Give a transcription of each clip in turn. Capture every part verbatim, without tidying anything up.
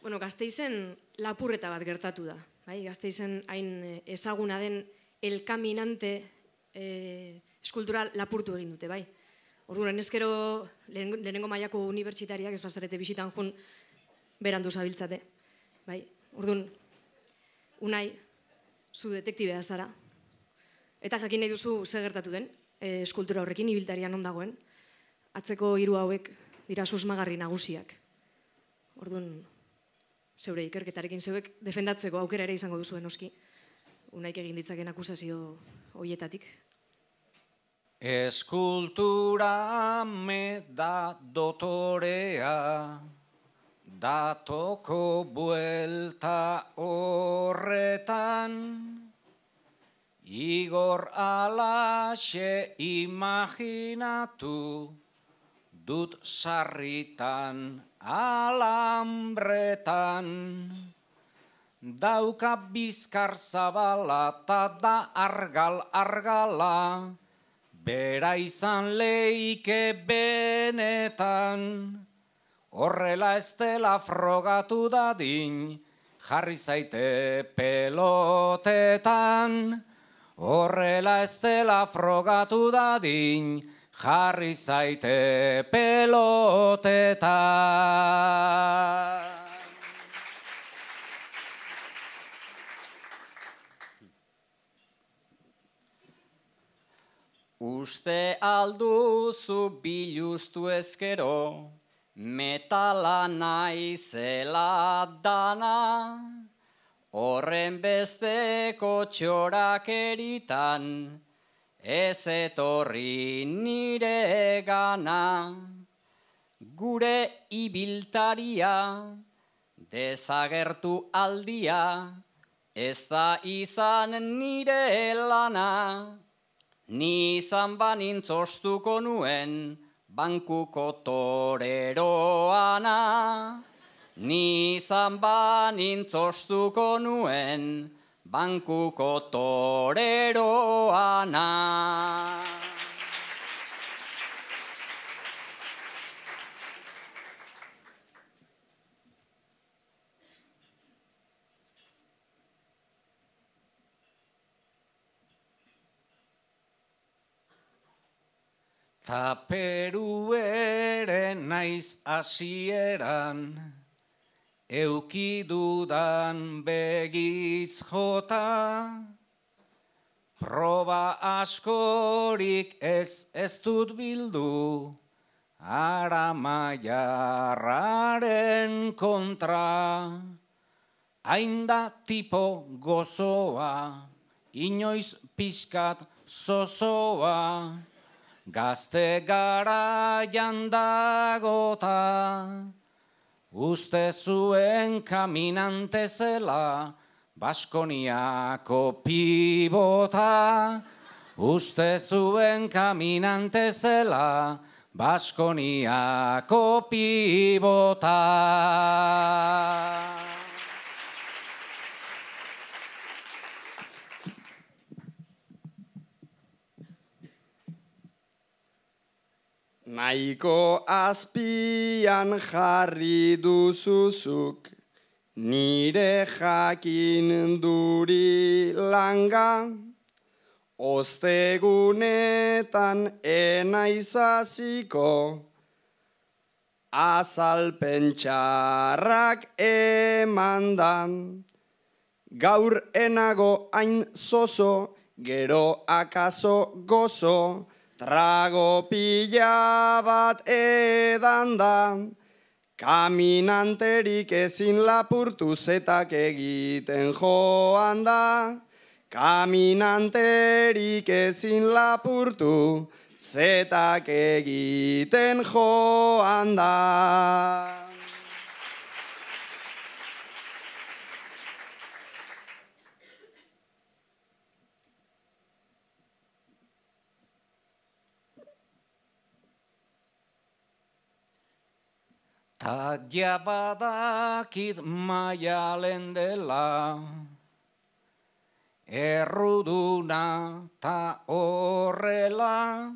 Bueno, Gasteizen lapurreta bat gertatu da. Bai? Gasteizen hain ezaguna den El Caminante eh, eskultura lapurtu egin dute, bai. Orduan, ezkero lehenengo mailako unibertsitariak ez bazarete bisitan jun berandu zabiltzate. Bai. Orduan, Unai, zu detektibea zara. Eta jakin nahi duzu ze gertatu den, e, eskultura horrekin, ibiltarian ondagoen. Atzeko hiru hauek dira susmagarri nagusiak. Orduan, zeure ikerketarekin zeuek defendatzeko aukera ere izango duzuen oski. Unaik egin ditzaken akusazio hoietatik. Eskultura me da dotorea, datoko buelta horretan, Igor alaxe imaginatu dut sarritan alambretan. Dauka bizkar zabala ta da argal-argala, bera izan leike benetan. Horrela ez dela frogatu dadin, jarri zaite pelotetan. Horrela ez dela frogatu dadin, jarri zaite pelotetan. Uste alduzu biluztu ezkero, metala naizela dana, horren besteko txorak eritan, ez etorri nire gana. Gure ibiltaria, desagertu aldia, ez da izan nire lana. Ni izan banintz ostuko nuen, bankuko toreroana. Ni izan banintz ostuko nuen, bankuko toreroana. Ta Peru ere naiz hasieran, eukidudan begiz jota, proba askorik ez ez dut bildu, Aramaiarraren kontra. Hain da tipo gozoa, inoiz pixkat zozoa, gazte garaian dagota, uste zuen kaminante zela, Baskoniako pibota. Uste zuen kaminante zela, Baskoniako pibota. Nahiko azpian jarri duzuzuk, nire jakin duri langa, ostegunetan enaizaziko, azalpen txarrak emandan. Gaur enago hain zozo, gero akaso gozo, trago pila bat edan da, kaminanterik ezin lapurtu zetak egiten joan da. Kaminanterik ezin lapurtu zetak egiten joan da. Ta jabadakit maialen dela, erruduna ta horrela,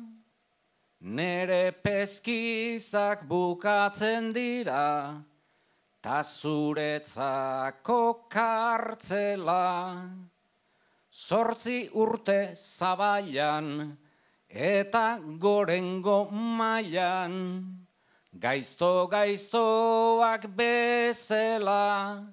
nere peskizak bukatzen dira, ta zuretzako kartzela. Zortzi urte zabailan, eta gorengo mailan, gaizto-gaiztoak bezela,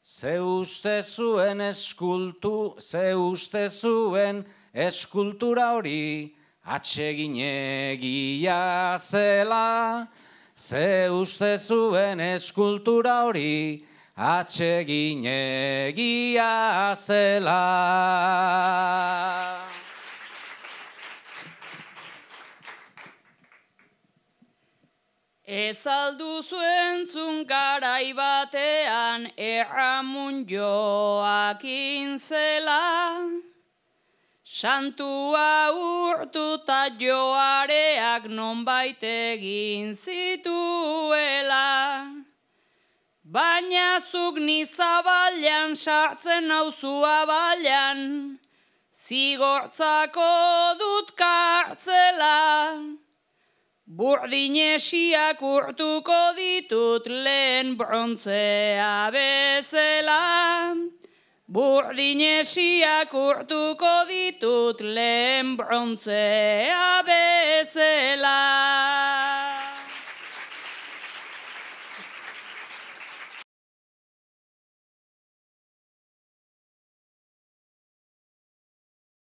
ze uste zuen eskultu, ze uste zuen eskultura hori, atseginegia zela, ze uste zuen eskultura hori, atseginegia zela. Ez alduzu entzun garai batean erramun joakin zela, santua urtuta joareak nonbait egin zituela. Baina zuk ni zabailan sartzen nauzu abailan, zigortzako dut kartzela. Burdinesiak urtuko ditut lehen brontzea bezala. Burdinesiak urtuko ditut lehen brontzea bezala.